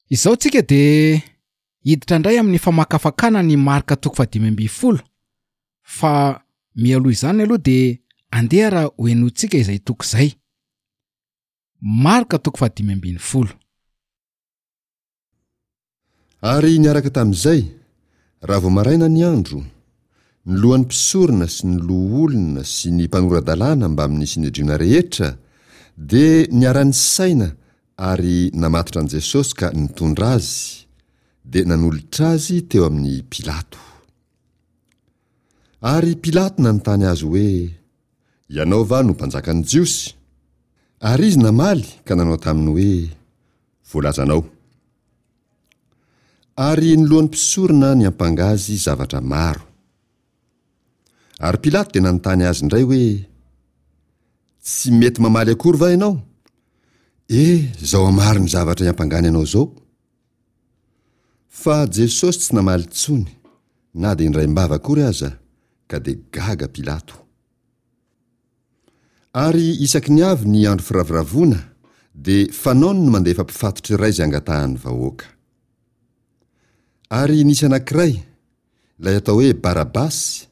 Izao tsika dia hiditra indray amin'ny famakafakana ny Marka toko fahadimy ambin'ny folo, fa mialoha izany aloha dia andeha raha hohenointsika izay toko izay. Marka toko fahadimy ambin'ny folo. Ary niaraka tamin'izay, raha vao maraina ny andro, ny lohan'ny mpisorona sy ny loholona sy ny mpanora-dalàna mbamin'ny Synedriona rehetra dia niara-nisaina ary namatotra an'i Jesosy ka nitondra azy, dia nanolotra azy teo amin'i Pilato. Ary Pilato nanontany azy hoe, Ianao va no mpanjakan'ny Jiosy? Ary izy namaly ka nanao taminy hoe, Voalazanao. Ary ny lohan'ny mpisorona niampanga azy zavatra maro. Ary Pilato dia nanontany azy indray hoe, Tsy mety mamaly akory va ianao? E, izao hamaro ny zavatra iampangany anao izao. Fa Jesosy tsy namaly intsony, na dia indraim-bava akory aza, ka dia gaga Pilato. Ary isaky ny avy ny andro firavoravoana dia fanaony ny mandefa mpifatotra iray izay angatahan'ny vahoaka. Ary nisy anankiray, ilay atao hoe Barabasy,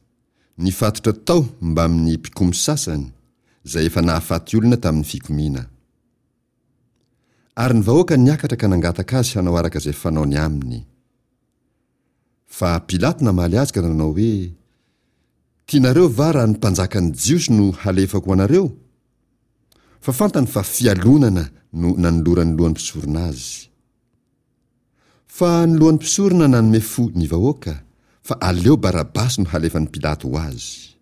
nifatotra tao mbamin'ny mpikomy sasany, izay efa nahafaty olona tamin'ny fikomiana. Ary ny vahoaka niakatra ka nangataka azy hanao araka izay fanaony aminy. Fa Pilato namaly azy ka nanao hoe, Tianareo va raha ny mpanjakan'ny Jiosy no halefako ho anareo? Fa fantany fa fialonana no nanoloran'ny lohan'ny mpisorona azy. Fa ny lohan'ny mpisorona nanome fo ny vahoaka, fa aleo Barabasy no halefan'i Pilato ho azy.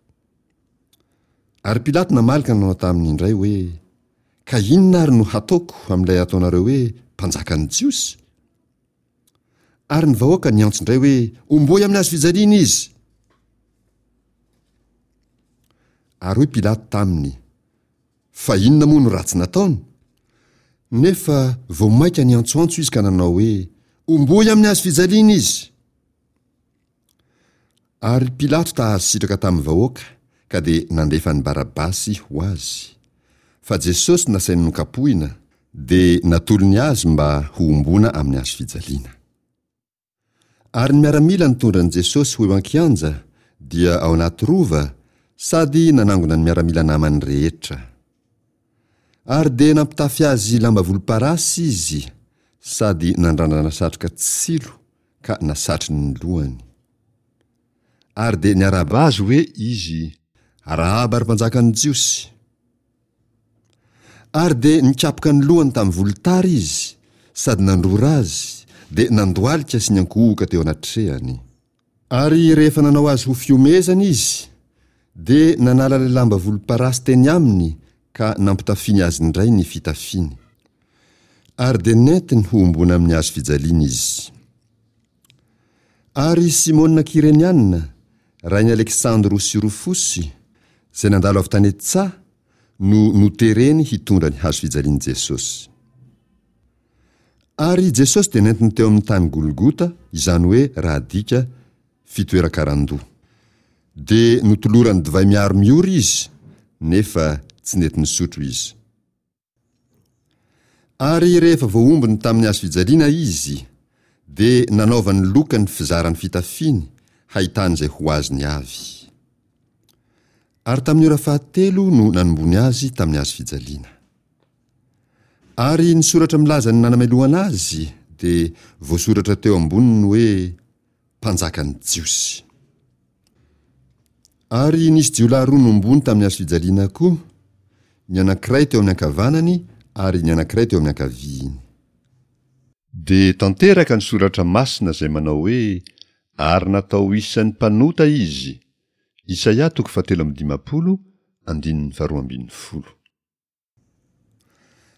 Ary Pilato namaly ka nanao taminy indray hoe, Ka inona ary no hataoko amin'ilay ataonareo hoe mpanjakan'ny Jiosy? Ary ny vahoaka niantso indray hoe, Homboy amin'ny hazo fijaliana izy! Ary hoy Pilato taminy, Fa inona moa no ratsy nataony? Nefa vao mainka niantsoantso izy ka nanao hoe, Homboy amin'ny hazo fijaliana izy! Ary Pilato ta-hahazo sitraka tamin'ny vahoaka, ka dia nandefa an'i Barabasy ho azy. Fa Jesosy nasainy nokapohina, dia natolony azy mba hohomboana amin'ny hazo fijaliana. Ary ny miaramila nitondra an'i Jesosy ho eo an-kianja, dia ao anaty rova, sady nanangona ny miaramila namany rehetra. Ary dia nampitafy azy lamba volomparasy izy, sady nandrandrana satroka tsilo ka nasatriny ny lohany. Ary dia niarahaba azy hoe izy, Arahaba, ry mpanjakan'ny Jiosy! Ary dia nikapoka ny lohany tamin'ny volotara izy, sady nandrora azy, dia nandohalika sy niankohoka teo anatrehany. Ary rehefa nanao azy ho fihomehezana izy, dia nanala ilay lamba volomparasy teny aminy ka nampitafiany azy indray ny fitafiany. Ary dia nentiny hohomboana amin'ny hazo fijaliana izy. Ary Simona Kyreniana, rain'i Aleksandro sy Rofosy, izay nandalo avy tany an-tsaha, no notereny hitondra ny hazo fijalian'i Jesosy. Ary Jesosy dia nentiny teo amin'ny tany Golgota, izany hoe raha adika, fitoeran-karandoha. Dia notolorany divay miharo miora izy, nefa tsy nety nisotro izy. Ary rehefa voahombony tamin'ny hazo fijaliana izy, dia nanaovany loka ny fizaran'ny fitafiany hahitany izay ho azony avy. Ary tamin'ny ora fahatelo no nanombony azy tamin'ny hazo fijaliana. Ary ny soratra milaza ny nanamelohana azy dia voasoratra teo amboniny hoe Mpanjakan'ny Jiosy. Ary nisy jiolahy roa nombony tamin'ny hazo fijaliana koa, ny anankiray teo amin'ny ankavanany ary ny anankiray teo amin'ny ankaviany. Dia tanteraka ny soratra masina izay manao hoe, Ary natao ho isan'ny mpanota izy. Isaia toko fahatelo amby dimampolo, andininy faharoa ambin'ny folo.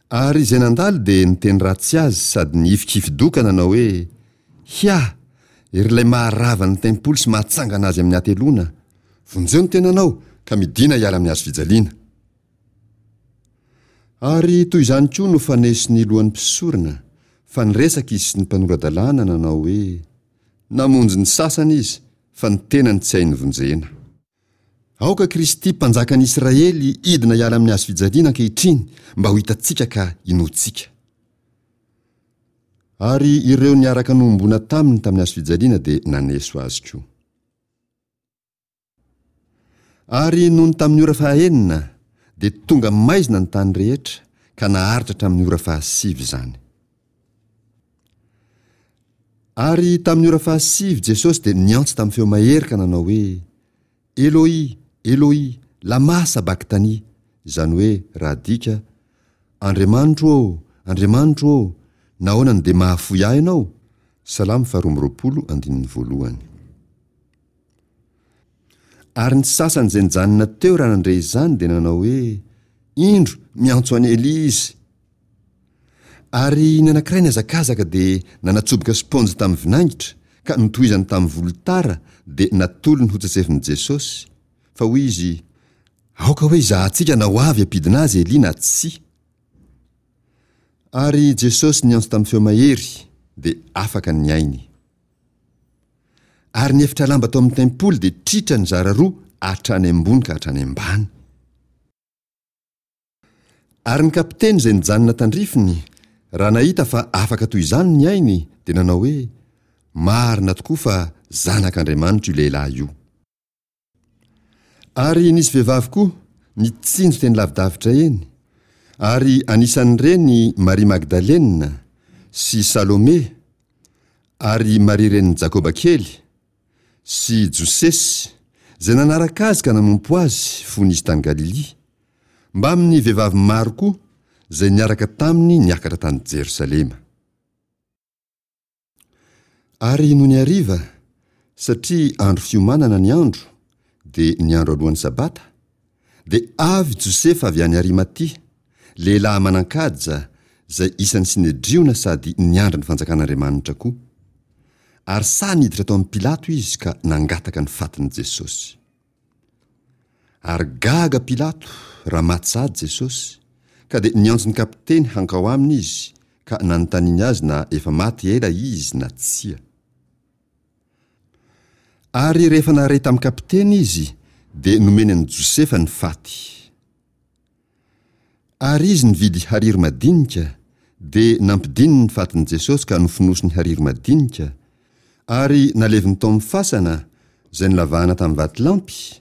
Ary izay nandalo dia niteny ratsy azy sady nihifikifi-doha ka nanao hoe, Hia! Ry ilay maharava ny tempoly sy mahatsangana azy amin'ny hateloana, vonjeo ny tenanao ka midìna hiala amin'ny hazo fijaliana! Ary toy izany koa no faneso ny lohan'ny mpisorona, fa niresaka izy sy ny mpanora-dalàna nanao hoe, Namonjy ny sasany izy, fa ny tenany tsy hainy vonjena. Aoka Kristy Mpanjakan'i Israely hidina hiala amin'ny hazo fijaliana ankehitriny mba ho hitantsika ka hinoantsika. Ary ireo niaraka nohomboana taminy tamin'ny hazofijaliana dia naneso azy koa. Ary nony tamin'ny ora fahaenina, dia tonga maizina ny tany rehetra, ka naharitra hatramin'ny ora fahasivy izany. Ary tamin'ny ora fahasivy Jesosy dia niantso tamin'ny feo mahery ka nanao hoe, Eloi, Eloi, lamà sabaktani, izany hoe raha adika, Andriamanitro ô, Andriamanitro ô, nahoana no dia mahafoy ahy Ianao? Salamo faharoa amby roapolo andininy voalohany. Ary ny sasany izay nijanona teo raha nandre izany dia nanao hoe, Indro, miantso an'i Elia izy. Ary ny anankiray nihazakazaka dia nanatsoboka spaonjy tamin'ny vinaingitra ka notohizany tamin'ny volotara dia natolony hotsetsefin'i Jesosy, fa hoy izy, Aoka hoe hizahantsika na ho avy hampidina azy Elia na tsia. Ary Jesosy niantso tamin'ny feo mahery dia afaka ny ainy. Ary ny efitra lamba tao amin'ny tempoly dia tritra nizara roa hatrany ambony ka hatrany ambany. Ary ny kapiteny izay nijanona tandrifiny, raha nahita fa afaka toy izany ny ainy, dia nanao hoe, Marina tokoa fa Zanak'Andriamanitra io lehilahy io. Ary nisy vehivavy koa nitsinjo teny lavidavitra eny, ary anisan'ireny Maria Magdalena sy Salome ary Maria renin'i Jakoba kely sy Josesy, izay nanaraka azy ka nanompo azy fony izy tany Galilia, mbamin'ny vehivavy maro koa izay niaraka taminy niakatra tany Jerosalema. Ary nony hariva, satria andro fiomanana ny andro, dia ny andro alohan'ny Sabata, dia avy Josefa avy any Arimatia, lehilahy manan-kaja, izay isan'ny Synedriona sady niandry ny fanjakan'Andriamanitra koa. Ary sahy niditra tao amin'i Pilato izy ka nangataka ny fatin'i Jesosy. Ary gaga Pilato raha maty sahady Jesosy, ka dia niantso ny kapiteny hankao aminy izy ka nanontaniany azy na efa maty ela izy na tsia. Ary rehefa nahare tamin'ny kapiteny izy, dia nomeny an'i Josefa ny faty. Ary izy nividy hariry madinika, dia nampidininy ny fatin'i Jesosy ka nofonosiny hariry madinika, ary naleviny tao amin'ny fasana izay nolavahana tamin'ny vatolampy,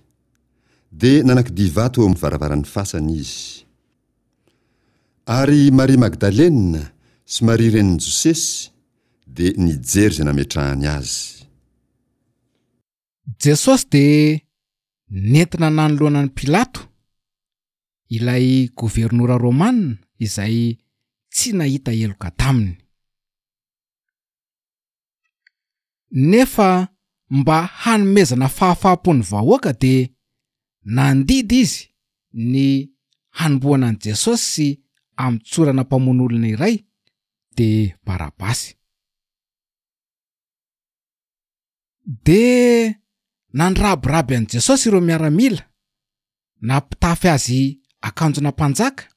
dia nanakidia vato eo amin'ny varavaran'ny fasana izy. Ary Maria Magdalena sy Maria renin'i Josesy dia nijery izay nametrahany azy. Jesosy dia nentina nanoloana an'i Pilato, ilay governora romana izay tsy nahita heloka taminy. Nefa mba hanomezana fahafaham-po ny vahoaka dia nandidy izy ny hanombohana an'i Jesosy sy hamotsorana mpamono olona iray, dia Barabasy. Dia nandrabiraby an'i Jesosy ireo miaramila, nampitafy azy akanjona mpanjaka,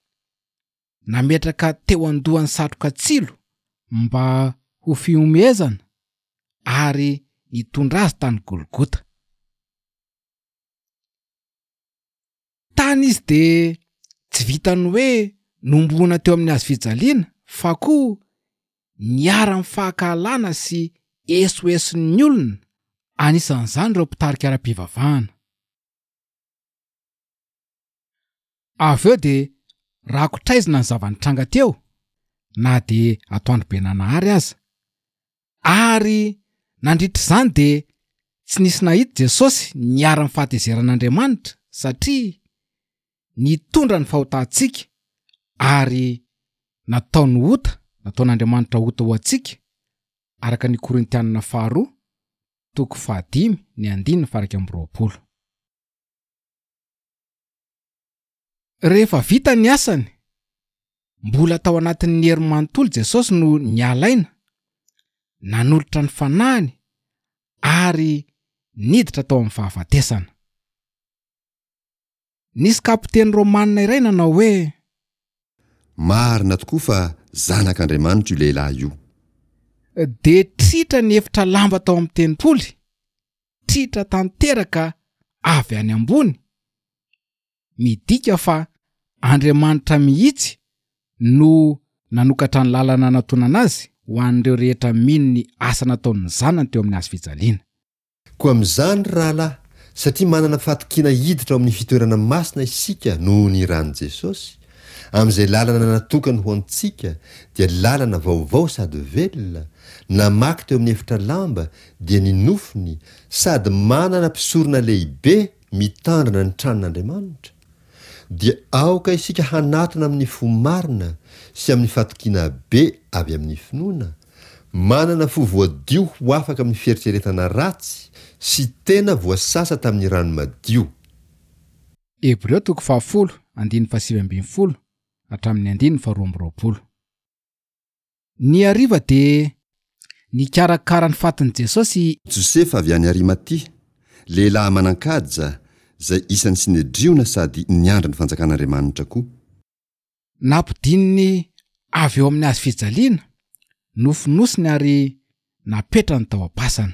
nametraka teo an-dohany satroka tsilo mba ho fihomehezana ary nitondra azy tany Golgota. Tany izy dia tsy vitan'ny hoe nohomboana teo amin'ny hazo fijaliana fa koa niharan'ny fankahalana sy esoeson'ny olona, anisan'izany ireo mpitarika ara-pivavahana. Avy eo dia rakotr'aizina ny zava-nitranga teo na dia atoandro be nanahary aza. Ary nandritra izany dia tsy nisy nahita Jesosy niharan'ny fahatezeran'Andriamanitra satria nitondra ny fahotantsika ary nataony ota, nataon'Andriamanitra ota ho antsika, araka ny Korintianina faharoa toko fahadimy ny andininy faha 21. Rehefa vita ny asany, mbola tao anatin'ny hery manontolo Jesosy no niala aina, nanolotra ny fanahiny ary niditra tao amin'ny fahafatesana. Nisy kapiteny romanina iray nanao hoe. Marina tokoa fa Zanak'Andriamanitra io lehilahy io. Dia tritra ny efitra lamba tao amin'ny tempoly, tritra tanteraka avy any ambony, midika fa Andriamanitra mihitsy no nanokatra ny lalana hanatonana azy. ho an'ireo rehetra mino ny asa nataon'ny Zanany teo amin'ny hazo fijaliana. Koa amin'izany, ry rahalahy, satria manana fatokiana hiditra ao amin'ny fitoerana masina isika noho ny ran'i Jesosy, amin'izay lalana natokany ho antsika, dia lalana vaovao sady velona, namaky teo amin'ny efitra lamba, dia ny nofony, sady manana mpisorona lehibe mitandrina ny tranon'Andriamanitra, dia aoka isika hanatona amin'ny fo marina sy amin'ny fatokiana be avy amin'ny finoana, manana fo voadio ho afaka amin'ny fieritreretana ratsy sy tena voasasa tamin'ny rano madio. Hebreo toko fahafolo, andininy fahasivy ambin'ny folo hatramin'ny andininy faharoa amby roapolo. Ny hariva dia nikarakara ny fatin'i Jesosy i. Josefa avy any Arimatia, lehilahy manan-kaja, izay isan'ny Synedriona sady niandry ny fanjakan'Andriamanitra koa. Nampidininy avy eo amin'ny hazo fijaliana, nofonosiny ary napetrany tao am-pasana.